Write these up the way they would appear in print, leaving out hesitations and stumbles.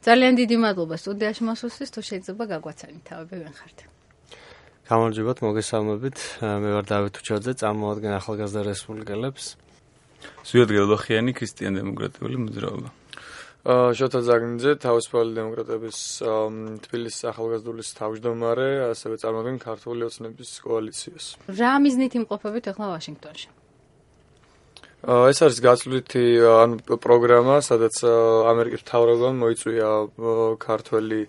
ძალიან დიდი მადლობა სტუდიაში მოსვლისთვის, თუ შეიძლება გაგვაცანით თავები ვინ ხართ. გამარჯობათ, მოგესალმებით. მე ვარ დავით უჩაძე, წამოვადგენ ახალგაზრდა რესპუბლიკელებს. ზვიად გელდოხიანი, ქრისტიან-დემოკრატიული მოძრაობა. შოთა ზაგნიძე, თავისუფალი დემოკრატების თბილისის ახალგაზრდულის თავმჯდომარე, ასევე წარმოგიდგენ ქართული ოცნების კოალიციას. რა მიზნით იმყოფებით ახლა ვაშინგტონში? ეს არის გაცვლითი პროგრამა, სადაც ამერიკის მთავრობამ მოიწვია ქართველი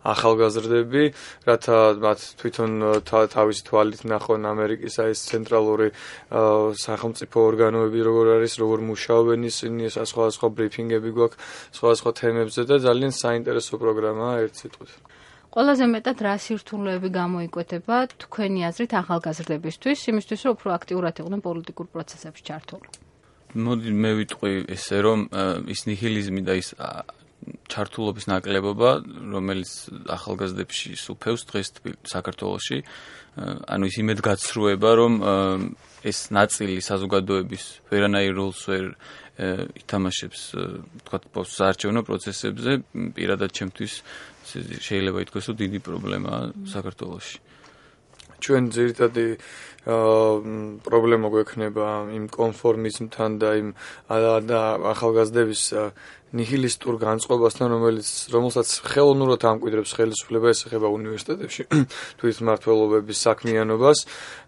ახალგაზრდები, რათა მათ თვითონ თავისი თვალით ნახონ ამერიკის ეს ცენტრალური სახელმწიფო ორგანოები როგორ არის, როგორ მუშაობენ ისინი, სხვადასხვა ბრიფინგები გვაქვს სხვადასხვა თემებზე და ძალიან საინტერესო პროგრამაა ერთ სიტყვით. ყველაზე მეტად რა სირთულეები გამოიკვეთება თქვენი აზრით ახალგაზრდებისთვის, იმისთვის რომ უფრო აქტიურად იყვნენ პოლიტიკურ პროცესებში ჩართული? მოდი მე ვიტყვი ესე რომ ის ნიჰილიზმი და ის ჩართულობის ნაკლებობა, რომელიც ახალგაზრდებში სუფევს დღეს საქართველოში, ანუ ის იმედგაცრუება, რომ ეს ნაწილი საზოგადოების ვერანაირ როლს ვერ ითამაშებს, თქვათ, საარჩევნო პროცესებზე, პირადად ჩემთვის შეიძლება ითქვას, რომ დიდი პრობლემაა საქართველოში. ჩვენ ძირითადი პრობლემა გვექნება იმ კონფორმიზმთან და იმ ახალგაზრდების ნიჰილისტურ განწყობასთან, რომელსაც ხელოვნურად ამკვიდრებს ხელისუფლება, ეს ეხება უნივერსიტეტებში თვითმმართველობების საქმიანობას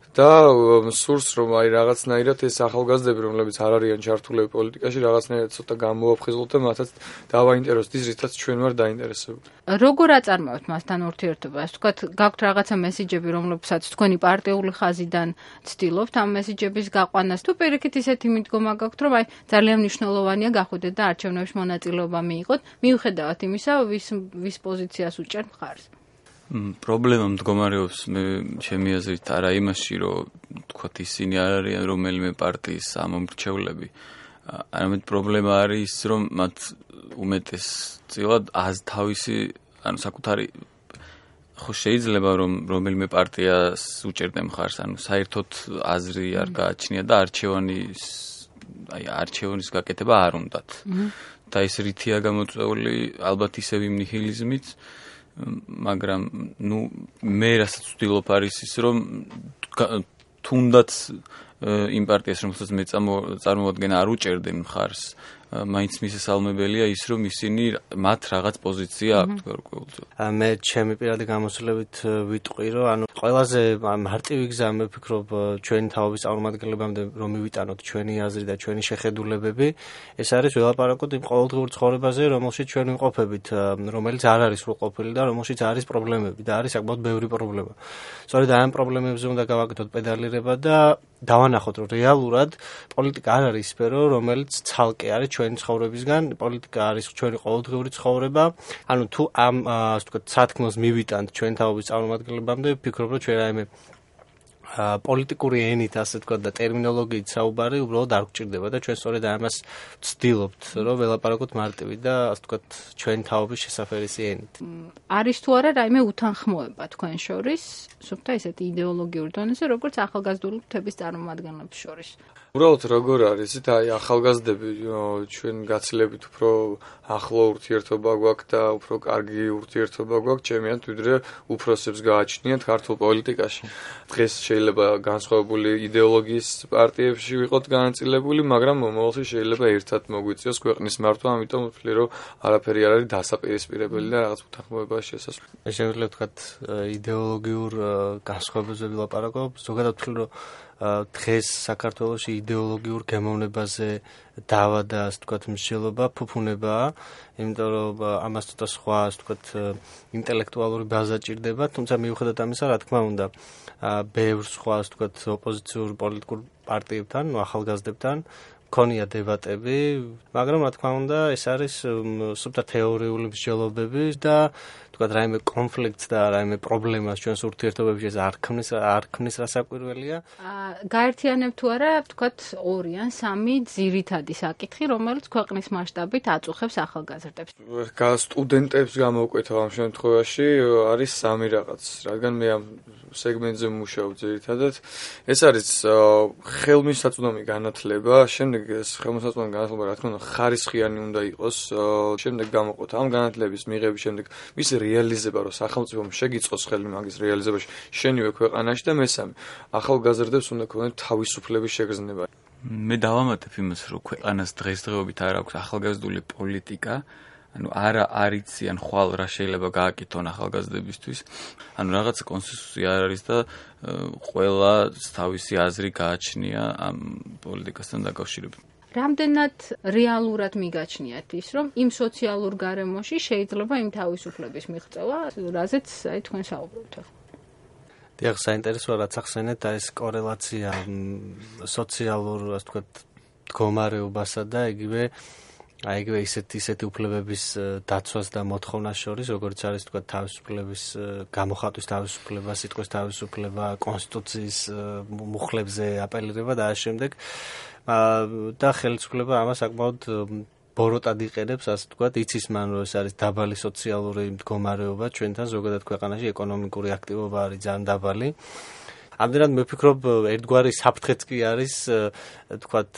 და სურს რომ რაღაცნაირად ეს ახალგაზრდები, რომლებიც არ არიან ჩართულები პოლიტიკაში, რაღაცნაირად ცოტა გამოაფხიზლოთ და მათაც დავაინტერესოთ ის, რითაც ჩვენ ვარ დაინტერესებული. როგორ აწარმოებთ მასთან ურთიერთობას? თქვათ, გაქვთ რაღაცა მესიჯები, რომლებსაც თქვენი პარტიული ხაზიდან ცდილობთ ამ მესიჯების გაყვანას, თუ პირიქით ისეთი მიდგომა გაქვთ, რომ ძალიან მნიშვნელოვანია გახვიდეთ და არჩევნებში მონაწილეობა მიიღოთ, მიუხედავად იმისა, ვის პოზიციას უჭერთ მხარს. პრობლემა მდგომარეობს ჩემი აზრით არა იმაში, რომ თქვათ ისინი არ არიან რომელიმე პარტიის ამომრჩევლები. არამედ პრობლემა არის ის, რომ მათ უმეტესწილად თავისი, ანუ საკუთარი ხო შეიძლება რომ რომელიმე პარტიას უჭერდნენ მხარს, ანუ საერთოდ აზრი არ გააჩნია და არჩევნის გაკეთება არ უნდათ. და ეს რითია გამოწვეული, ალბათ ისევ იმ ნიჰილიზმით, მაგრამ მე რასაც ვცდილობ არის ის, რომ თუნდაც იმ პარტიას, რომელსაც მე წარმოვადგენ, არ უჭერდნენ მხარს, მაინც მისასალმებელია ის, რომ ისინი მათ რაღაც პოზიცია აქვთ გარკვეულწილად. მე ჩემი პირადი გამოცდილებით ვიტყვი, რომ ანუ ყველაზე მარტივი გზა მე ვფიქრობ ჩვენი თაობის წარმომადგენლებამდე რომ მივიტანოთ ჩვენი აზრი და ჩვენი შეხედულებები, ეს არის ველაპარაკოთ იმ ყოველდღიურ ცხოვრებაზე, რომელშიც ჩვენ ვიმყოფებით, რომელიც არ არის სრულყოფილი და რომელშიც არის პრობლემები და არის საკმაოდ ბევრი პრობლემა. სწორედ ამ პრობლემებზე უნდა გავაკეთოთ პედალირება და დავანახოთ, რომ რეალურად პოლიტიკა არ არის სფერო, რომელიც ცალკე არის ჩვენი ცხოვრებისგან, პოლიტიკა არის ჩვენი ყოველდღიური ცხოვრება. ანუ თუ ამ ასე ვთქვათ, სათქმელს მივიტანთ ჩვენ თაობის წარმომადგენლებამდე, ვფიქრობ, რომ ჩვენ რაიმე პოლიტიკური ენით, ასე ვთქვათ, და ტერმინოლოგიით საუბარი უბრალოდ არ გვჭირდება და ჩვენ სწორედ ამას ვცდილობთ, რომ ველაპარაკოთ მარტივი და ასე ვთქვათ, ჩვენი თაობის შესაფერისი ენით. არის თუ არა რაიმე უთანხმოება თქვენ შორის, სუფთა ისეთი იდეოლოგიური დონეზე, როგორც ახალგაზრდულების წარმომადგენლებს შორის? უბრალოდ როგორ არის, ახალგაზრდები ჩვენ გაცილებით უფრო ახლო ურთიერთობა გვაქვს და უფრო კარგი ურთიერთობა გვაქვს ჩემიანთ, ვიდრე უფროსებს გააჩნიათ ქართულ პოლიტიკაში. დღეს შეიძლება განსხვავებული იდეოლოგიის პარტიებში ვიყოთ განაწილებული, მაგრამ მომავალში შეიძლება ერთად მოგვიწიოს ქვეყნის მართვა, ამიტომ ვთვლი, რომ არაფერი არ არის დასაპირისპირებელი და რაღაც უთანხმოებაა შესაძლებელი. მე შემიძლია ვთქვათ, იდეოლოგიურ განსხვავებებზე ვილაპარაკო, ზოგადად ვთვლი, რომ დღეს საქართველოში იდეოლოგიურ გემოვნებაზე დავა და ასე ვთქვათ მსჯელობა ფუფუნებაა, იმიტომ რომ ამას ცოტა სხვა ასე ვთქვათ ინტელექტუალური ბაზა ჭირდება, თუმცა მიუხედავად ამისა, რა თქმა უნდა, ბევრ სხვა ასე ვთქვათ ოპოზიციურ პოლიტიკურ პარტიებთან, ახალგაზრდებთან ქონია დებატები, მაგრამ რა თქმა უნდა, ეს არის სუფთა თეორიული მსჯელობები და თქვათ რაიმე კონფლიქტს და რაიმე პრობლემას ჩვენს ურთიერთობებში არ ქმნის რასაკვირველია. გაერთიანებ თუ არა, თქვათ 2 ან 3 ძირითადი საკითხი, რომელიც ქვეყნის მასშტაბით აწუხებს ახალგაზრდებს. სტუდენტებს გამოვკვეთა ამ შემთხვევაში არის 3 რაღაც, რადგან მე ამ სეგმენტზე მუშაობ ძირითადად. ეს არის ხელმისაწვდომი განათლება, შემდეგ შემდეგ ეს ხელმისაწვდომი განათლება რა თქმა უნდა ხარისხიანი უნდა იყოს. შემდეგ გამოყოთ ამ განათლების მიღების შემდეგ მისი რეალიზება, რომ სახელმწიფომ შეგიწყოს ხელი მაგის რეალიზებაში შენივე ქვეყანაში და მესამე ახალგაზრდებს უნდა ქონდეთ თავისუფლების შეგრძნება. მე დავამატებ იმას, რომ ქვეყანას დღესდღეობით არ აქვს ახალგაზრდული პოლიტიკა, ანუ არა არიციან ხვალ რა შეიძლება გააკეთონ ახალგაზრდებისთვის. ანუ რაღაცა კონსენსუსი არ არის და ყველა თავისი აზრი გააჩნია ამ პოლიტიკასთან დაკავშირებით. რამდენად რეალურად მიგაჩნიათ ის, რომ იმ სოციალურ გარემოში შეიძლება იმ თავისუფლების მიღწევა, რაზეც აი თქვენ საუბრობთ ახლა. დიახ, საინტერესოა რაც ახსენეთ, ეს კორელაცია სოციალურ, ასე ვთქვათ, მდგომარეობასა და იგივე ისეთი უფლებების დაცვას და მოთხოვნას შორის, როგორც არის თქვა თავისუფლების გამოხატვის თავისუფლება, სიტყვის თავისუფლება, კონსტიტუციის მუხლებზე აპელირება და ამ შემდეგ და ხელისუფლება ამას საკმაოდ ბოროტად იყენებს, ასე ვთქვათ, იცის მან რომ ეს არის დაბალი სოციალური მდგომარეობა ჩვენთან ზოგადად ქვეყანაში, ეკონომიკური აქტივობა არის ძალიან დაბალი. ამდენად მე ვფიქრობ, ერთგვარი საფრთხეც კი არის, თქვათ,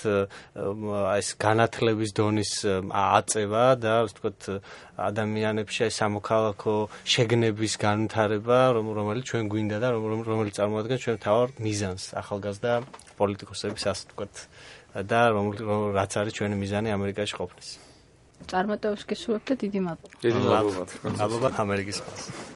ეს განათლების დონის აწევა და, ვთქვათ, ადამიანებში ეს სამოქალაქო შეგნების განვითარება, რომელიც ჩვენ გვინდა და რომელიც წარმოადგენს ჩვენ მთავარ მიზანს ახალგაზრდა პოლიტიკოსების, ასე ვთქვათ, და რაც არის ჩვენი მიზანი ამერიკაში ყოფნის. წარმატებებს გისურვებთ და დიდი მადლობა. დიდი მადლობა. მადლობა ამერიკის ხალხს.